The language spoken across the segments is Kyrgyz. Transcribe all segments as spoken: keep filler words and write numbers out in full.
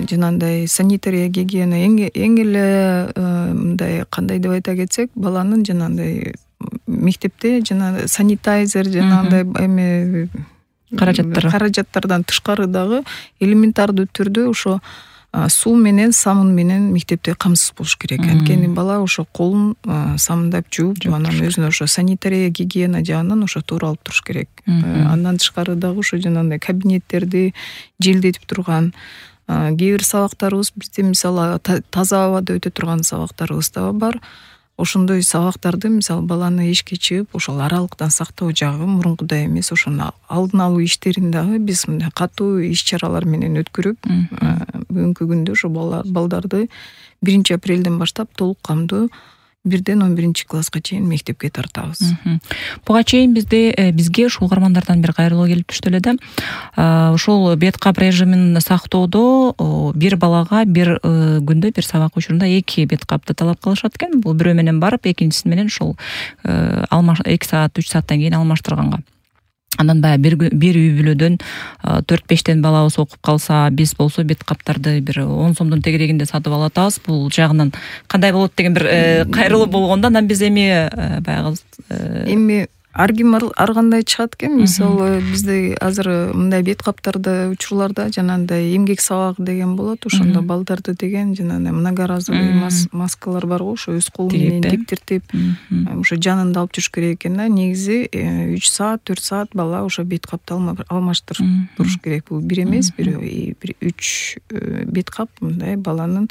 жанагындай санитария гигиена эң эң эле мындай кандай деп айта кетсек, баланын жанагындай мектепте жана санитайзер жанагындай эме каражаттар каражаттардан тышкары дагы элементардуу түрдө ошо суу менен самын менен мектепте камсыз болуш керек. Анткени бала ошо колун самындап жууп, анан өзүнө ошо санитария гигиена жагынан ошо туура алып туруш керек. Андан тышкары дагы ошо жанагындай кабинеттерди желдетип турган кээ бир сабактарыбыз бизде мисалы таза абада өтө турган сабактарыбыз да бар. Ошондой сабактарды мисалы баланы эшикке чыгып ошол аралыктан сактоо жагы мурункудай эмес, ошону алдын алуу иштерин дагы биз мындай катуу иш-чаралар менен өткөрүп, бүгүнкү күндө ошо балдарды биринчи апрелден баштап толук камдуу бирден он биринчи класска чейин мектепке тартабыз. Буга чейин бизде бизге ушул угармандардан бир кайрылуу келип түштү эле да. Ошол бет кап режимин сактоодо бир балага бир күндө бир сабак учурунда эки бет капты талап кылышат экен. Бул бирөө менен барып, экинчиси менен ушул эки саат, үч сааттан кийин алмаштырганга. Андан баягы бир бир үй бүлөдөн төрт бештен балабыз окуп калса, биз болсо бет каптарды бир он сомдун тегерегинде сатып алып атабыз. Бул жагынан кандай болот деген бир кайрылуу болгондо, анан биз эми баягы эми ар ким ар кандай чыгат экен. Мисалы бизде азыр мындай бет каптарды учурларда жанагындай эмгек сабагы деген болот. Ошондо балдарды деген жанагындай многоразовый маскалар бар го, ошо өз колу менен тиктиртип, ошо жанында алып жүрүш керек экен да. Негизи үч саат, төрт саат бала ошо бет капты алмаштырып туруш керек. Бул бир эмес, бир үч бет кап мындай баланын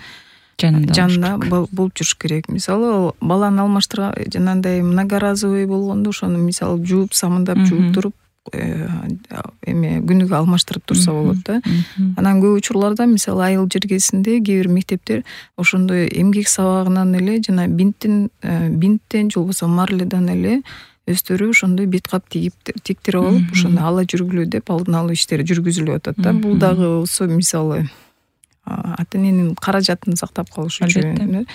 жанында болуп жүрүш керек. Мисалы баланы алмаштырган жанагындай многоразовый болгондо ошону мисалы жууп, самындап жууп туруп эме күнүгө алмаштырып турса болот да. Анан көп учурларда мисалы айыл жергесинде кээ бир мектептер ошондой эмгек сабагынан эле жана бинттен бинттен же болбосо марледан эле өздөрү ошондой бет кап тиктирип алып, ошону ала жүргүлө деп алдын алуу иштери жүргүзүлүп атат да. Бул дагы болсо мисалы ата-эненин каражатын сактап калыш үчүн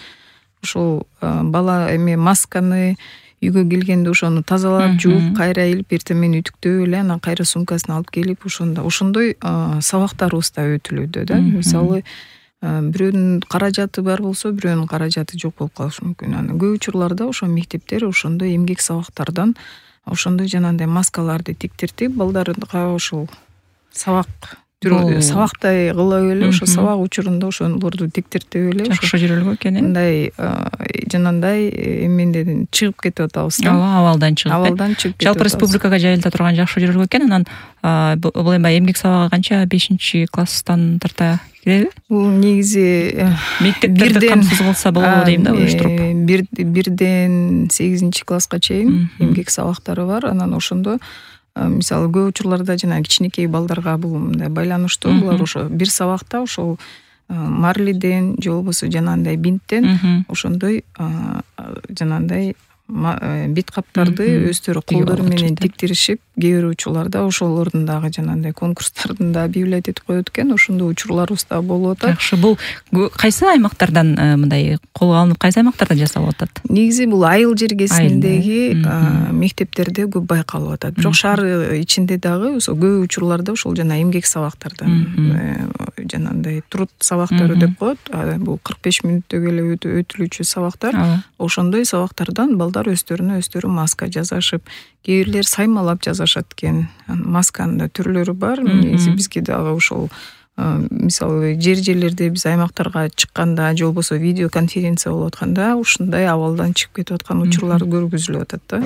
ошол бала эме масканы үйгө келгенде ошону тазалап жууп, кайра илип, эртең менен үтүктөп эле анан кайра сумкасына алып келип, ошондо ошондой сабактарыбыз да өтүлүүдө да. Мисалы бирөөнүн каражаты бар болсо, бирөөнүн каражаты жок болуп калышы мүмкүн. Анан көп учурларда ошо мектептер ошондой эмгек сабактардан ошондой жанагындай маскаларды тиктиртип, балдарга ошол сабак сабактай кылып эле, ошо сабак учурунда ошолорду тиктиртип эле жакшы жүрүлгөн экен. Мындай жанагындай эменден чыгып кетип атабыз да. Ооба, абалдан чыгып. Абалдан чыгып кетип. Жалпы республикага жайылта турган жакшы жүрүлгөн экен. Анан бул эми эмгек сабагы канча бешинчи класстан тарта киреби? Бул негизи мектептерде камсыз кылса болобу дейм да, уюштуруп. Бирден сегизинчи класска чейин эмгек сабактары бар. Анан ошондо мисалы көп учурларда жана кичинекей балдарга бул мындай байланыштуу. Булар ошо бир сабакта ошол марлиден же болбосо жанагындай бинттен ошондой жанагындай бет каптарды өздөрү колдору менен тиктиришип, кээ бир учурларда ошолордун дагы жанагындай конкурстардын да объявлять этип коет экен. Ошондой учурларыбыз да болуп атат. Жакшы. Бул кайсы аймактардан мындай колго алынып, кайсы аймактарда жасалып атат? Негизи бул айыл жергесиндеги мектептерде көп байкалып атат. Бирок шаар ичинде дагы ошо көп учурларда ошол жана эмгек сабактардан жанагындай труд сабактары деп коет. Бул кырк беш мүнөттөгө эле өтүлүүчү сабактар. Ошондой сабактардан балдар өздөрүнө өздөрү маска жасашып, кээ бирлер саймалап жасашат экен. Масканын да түрлөрү бар. Негизи бизге дагы ошол мисалы жер жерлерде биз аймактарга чыкканда же болбосо видео конференция болуп атканда ушундай абалдан чыгып кетип аткан учурлар көргүзүлүп атат да.